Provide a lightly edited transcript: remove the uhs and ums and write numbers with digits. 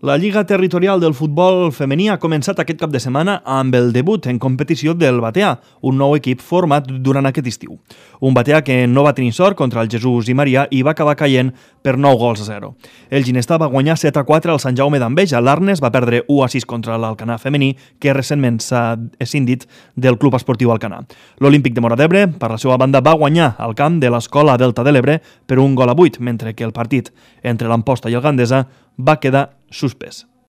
La Lliga Territorial del Futbol Femení ha començat aquest cap de setmana amb el debut en competició del Batea, un nou equip format durant aquest estiu. Un Batea que no va tenir sort contra el Jesús i Maria i va acabar caient per 9-0. El Ginestà va guanyar 7-4 al Sant Jaume d'Enveja. L'Arnes va perdre 1-6 contra l'Alcanar femení, que recentment s'ha escindit del Club Esportiu Alcanar. L'Olímpic de Móra d'Ebre, per la seva banda, va guanyar al camp de l'Escola Delta de l'Ebre per 1-8, mentre que el partit entre l'Amposta i el Gandesa va quedar suspès.